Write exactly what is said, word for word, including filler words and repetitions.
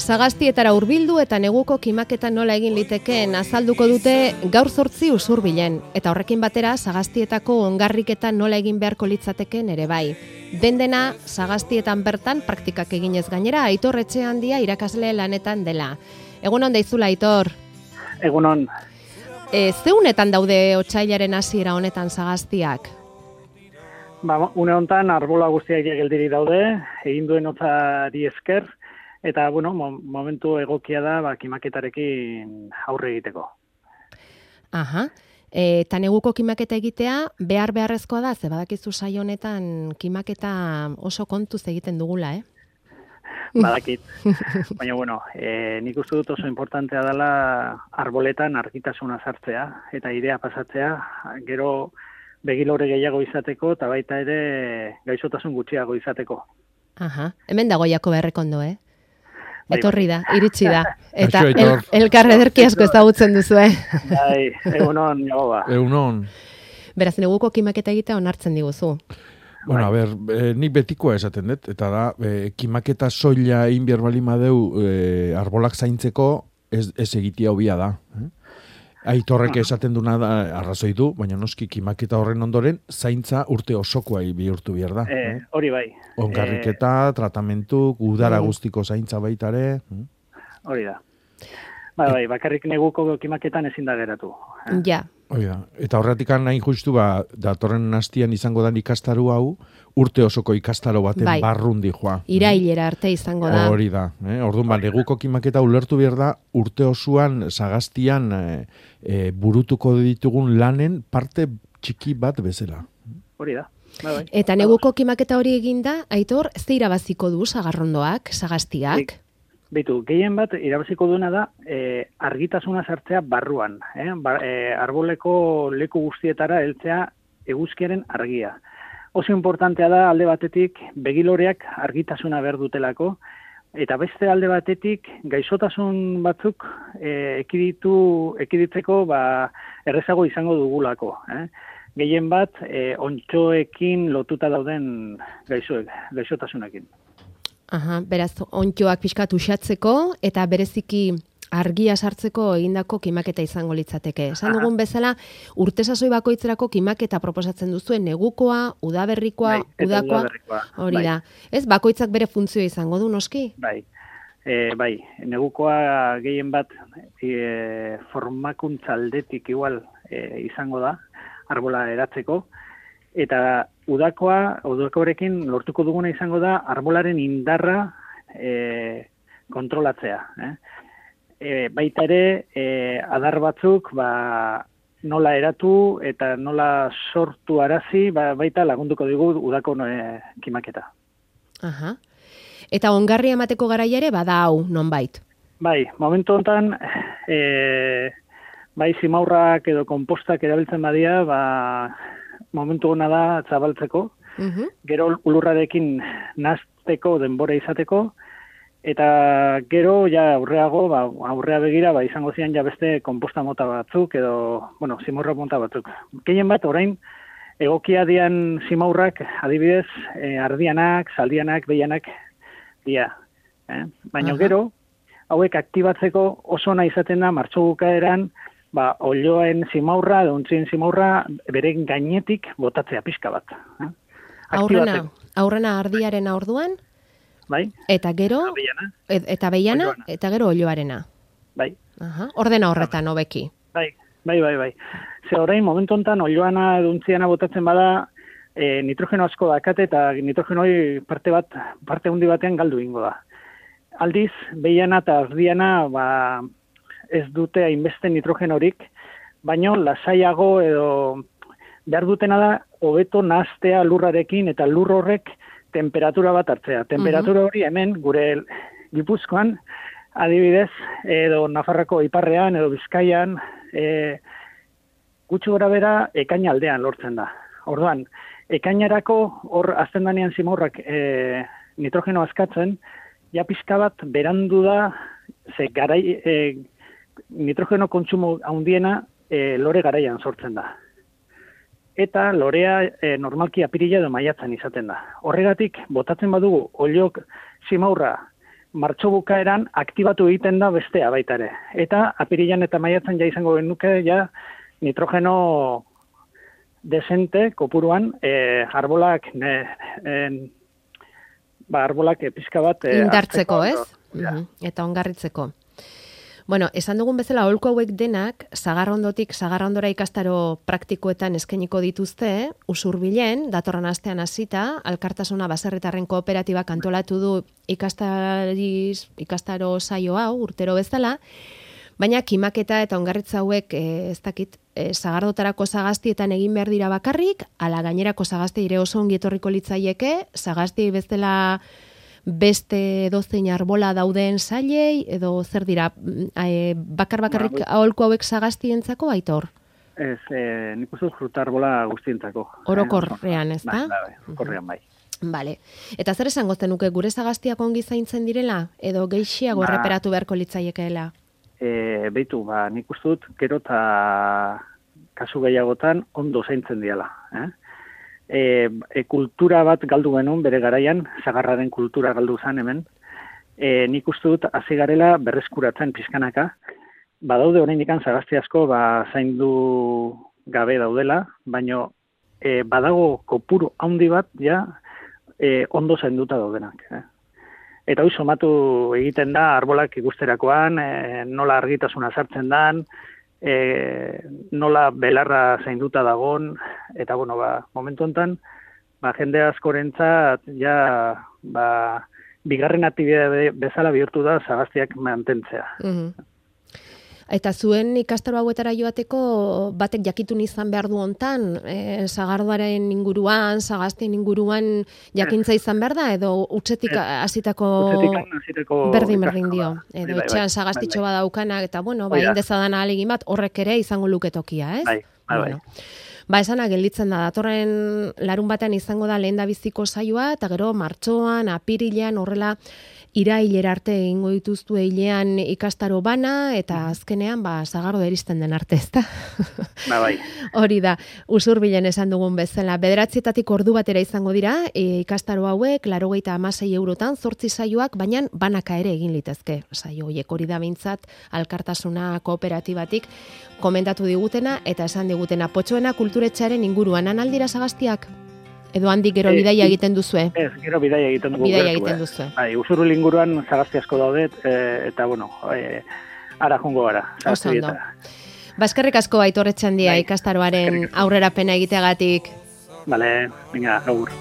sagaztietara hurbildu eta neguko kimaketa nola egin litekeen azalduko dute gaur zortzi Usurbilen, eta horrekin batera sagaztietako ongarriketa nola egin beharko litzatekeen ere bai. Den dena sagaztietan bertan praktikak eginez gainera, Aitor Etxehandia irakasle lanetan dela. Egunon deizula, Aitor? Egunon. E, zeunetan daude otsailaren hasiera honetan sagaztiak? Ba, une honetan arbola guztiak geldiri daude, egin duen hotzari esker, eta bueno, momentu egokia da ba, kimaketarekin aurre egiteko. Aha. E, eta neguko kimaketa egitea behar beharrezkoa da, ze badakizu saio honetan kimaketa oso kontuz egiten dugula, eh? Badakit. Baina, bueno, e, nik uste dut oso importantea dela arboletan argitasuna sartzea, eta idea pasatzea, gero begilore gehiago izateko, eta baita ere gaixotasun gutxiago izateko. Aha, hemen dago jako berrekondo, eh? Bai, Etorri da, bai. iritsi da. Eta el, elkar ederki asko ezagutzen duzu, eh? Bai, egunon, jagoa. Egunon. Beraz, neguko kimaketa egitea onartzen diguzu. Bueno, a ber, eh, nik betikoa esaten dut, eta da, eh, kimaketa soila egin behar bali madeu eh, arbolak zaintzeko ez, ez egitea hobia da. Eh? Aitorrek esaten duna da, arrazoi du, baina noski kimaketa horren ondoren, zaintza urte osokoa bihurtu behar da. Eh, hori bai. Ongarriketa, eh, tratamentu, udara guztiko zaintza baitare. Hori da. Bai, bai, bakarrik neguko kimaketan ezin da geratu. Eh? Ja. Hori da. Eta horretik nahi justu, ba, datorren hastian izango da ikastaru hau, urte osoko ikastaro baten bai. Barrundi joa. Irailera arte izango da. Hori da. Eh? Orduan, ba, neguko kimaketa ulertu behar da, urte osoan sagaztian eh, eh, burutuko ditugun lanen parte txiki bat bezala. Hori da. Bai, bai. Eta neguko kimaketa hori eginda, Aitor, ze irabaziko du sagarrondoak, sagaztiak? Beitu, gehien bat irabaziko duena da e, argitasuna sartzea barruan. Eh? Bar, e, arboleko leku guztietara heltzea eguzkiaren argia. Oso importantea da alde batetik begiloreak argitasuna behar dutelako, eta beste alde batetik gaixotasun batzuk e, ekiditu, ekiditzeko ba, errezago izango dugulako. Eh? Gehien bat e, ontxoekin lotuta dauden gaixoek, gaixotasunekin. Aha, beraz, ontxoak pixkat uxatzeko eta bereziki argia sartzeko egindako kimaketa izango litzateke. Esan dugun bezala, urte sasoi bakoitzerako kimaketa proposatzen duzuen negukoa, udaberrikoa, bai, udakoa, udaberrikoa, hori bai. da. Ez, bakoitzak bere funtzio izango du, noski? Bai, e, bai, negukoa gehien bat e, formakuntza aldetik igual e, izango da, arbola eratzeko, eta udakoa, udakoarekin lortuko duguna izango da arbolaren indarra e, kontrolatzea. Eh? E, baita ere, e, adar batzuk ba, nola eratu eta nola sortu arazi, ba, baita lagunduko digu udako e, kimaketa. Aha. Eta ongarria emateko garaia ere bada hau, nonbait? Bai, momentu honetan, e, bai zimaurrak edo kompostak erabiltzen badia, ba, momentu hona da zabaltzeko, uh-huh. Gero ulurrarekin nazteko denbora izateko, eta gero ja aurreago, ba, aurrea begira, ba, izango zian ja beste komposta mota batzuk, edo, bueno, zimaurra mota batzuk. Gehien bat, orain, egokia dian zimaurrak, adibidez, eh, ardianak, saldianak, behianak, dia. Eh? Baina uh-huh. Gero, hauek aktibatzeko oso ona izaten da, martxo bukaeran, ba, olioen zimaurra, dontzien zimaurra, beren gainetik botatzea pixka bat. Eh? Aurrena, aurrena ardiarena orduan, bai? Eta gero, et, eta behiana, eta gero olioarena. Bai. Aha, ordena horretan, hobeki. Bai, bai, bai, bai. Ze orain, momentu honetan, olioana, dontziana botatzen bada, e, nitrogeno asko dakate, eta nitrogenoi parte bat, parte hundi batean galdu ingo da. Aldiz, behiana eta ardiana, ba, ez dute hainbeste nitrogenorik, baino lasaiago edo behar dutena da hobeto nahaztea lurrarekin eta lur horrek temperatura bat hartzea. Temperatura hori hemen gure Gipuzkoan, adibidez, edo Nafarroko iparrean edo Bizkaian, e, gutxi gora bera ekaina aldean lortzen da. Orduan, ekainarako hor azten danean zimaurrak e, nitrogeno askatzen, ja pixka bat berandu da, ze garai... E, nitrogeno kontsumo handiena e, lore garaian sortzen da. Eta lorea e, normalki apirila edo maiatzen izaten da. Horregatik, botatzen badugu oliok zimaurra martxo bukaeran aktibatu egiten da bestea baita ere. Eta apirilan eta maiatzen ja izango genuke ja nitrogeno desente kopuruan e, arbolak ne, en, ba, arbolak pizka bat e, indartzeko, ez? Ja. Mm-hmm. Eta ongarritzeko. Bueno, esan dugun bezala aholku hauek denak Sagarrondotik Sagarrondora ikastaro praktikoetan eskainiko dituzte, Usurbilen datorren astean hasita, Alkartasuna baserritarren kooperatibak antolatu du ikastariz ikastaro saio hau urtero bezala, baina kimaketa eta ongarritza hauek e, ez dakit e, Sagardotarako sagastietan egin behar dira bakarrik, ala gainerako sagasti ire oso ongi etorriko litzaieke, sagasti bezala beste dozein arbola dauden sailei, edo zer dira, e, bakar bakarrik aholku hauek sagastientzako, Aitor? Ez, e, nik uste fruta arbola guztientzako. Orokorrean, ez da? Bai, bai, orokorrean bai. Vale. Eta zer esango zenuke, gure sagastiak ongi zaintzen direla, edo geixiago ba, erreperatu beharko litzaiekeela? E, beitu, ba, nik uste dut, gero eta kasu gehiagotan ondo zaintzen diala, eh? E, e, kultura bat galdu genuen bere garaian, sagarraren kultura galdu zen hemen, e, nik uste dut hasi garela berreskuratzen pizkanaka, badaude oraindik sagasti asko ba, zaindu gabe daudela, baino e, badago kopuru handi bat ja e, ondo zainduta daudenak. Eh? Eta hori somatu egiten da arbolak ikusterakoan, e, nola argitasuna sartzen dan, E, nola belarra zainduta dagon, eta bueno, ba, momentu honetan, ba, jende askorentzat ja, ba, bigarren aktibitate bezala bihurtu da sagaztiak mantentzea. Mm-hmm. Eta zuen ikastaro hauetara joateko batek jakitun izan behar du hontan, e, Sagardoaren inguruan, sagastien inguruan jakintza izan behar da, edo utzetik hasitako berdin-berdin dio. Edo bai, etxean bai, sagastitxo bai, bai. badaukana, eta bueno, ba, indezadan ahalegin bat, horrek ere izango luketokia, ez? Bai, bai, bueno. Ba, esana gelditzen da, datorren larun batean izango da lehen da biziko saioa, eta gero martxoan, apirilean, horrela, irailera arte egingo dituztu hilean ikastaro bana, eta azkenean, ba, Sagardo eristen den arte, ezta? Ba, bai. Hori da, Usurbilen esan dugun bezala. Bederatzietatik ordu batera izango dira, e, ikastaro hauek, laurogeita hamasei eurotan, zortzi saioak, baina banaka ere egin litezke. Saio horiek hori da behintzat, Alkartasuna kooperatibatik komentatu digutena, eta esan digutena, Potxoena kulturetxearen inguruan analdira sagaztiak? Edo handik gero bidaia egiten duzue? Ez, gero bidaia egiten dugu. Bidaia egiten duzue. Bai, Usurbil inguruan sagazti asko daudet, e, eta bueno, e, ara jongo gara. Oso ondo. Baskerrik asko Aitor Etxandia ikastaroaren aurrerapena egiteagatik. Bale, venga, agur.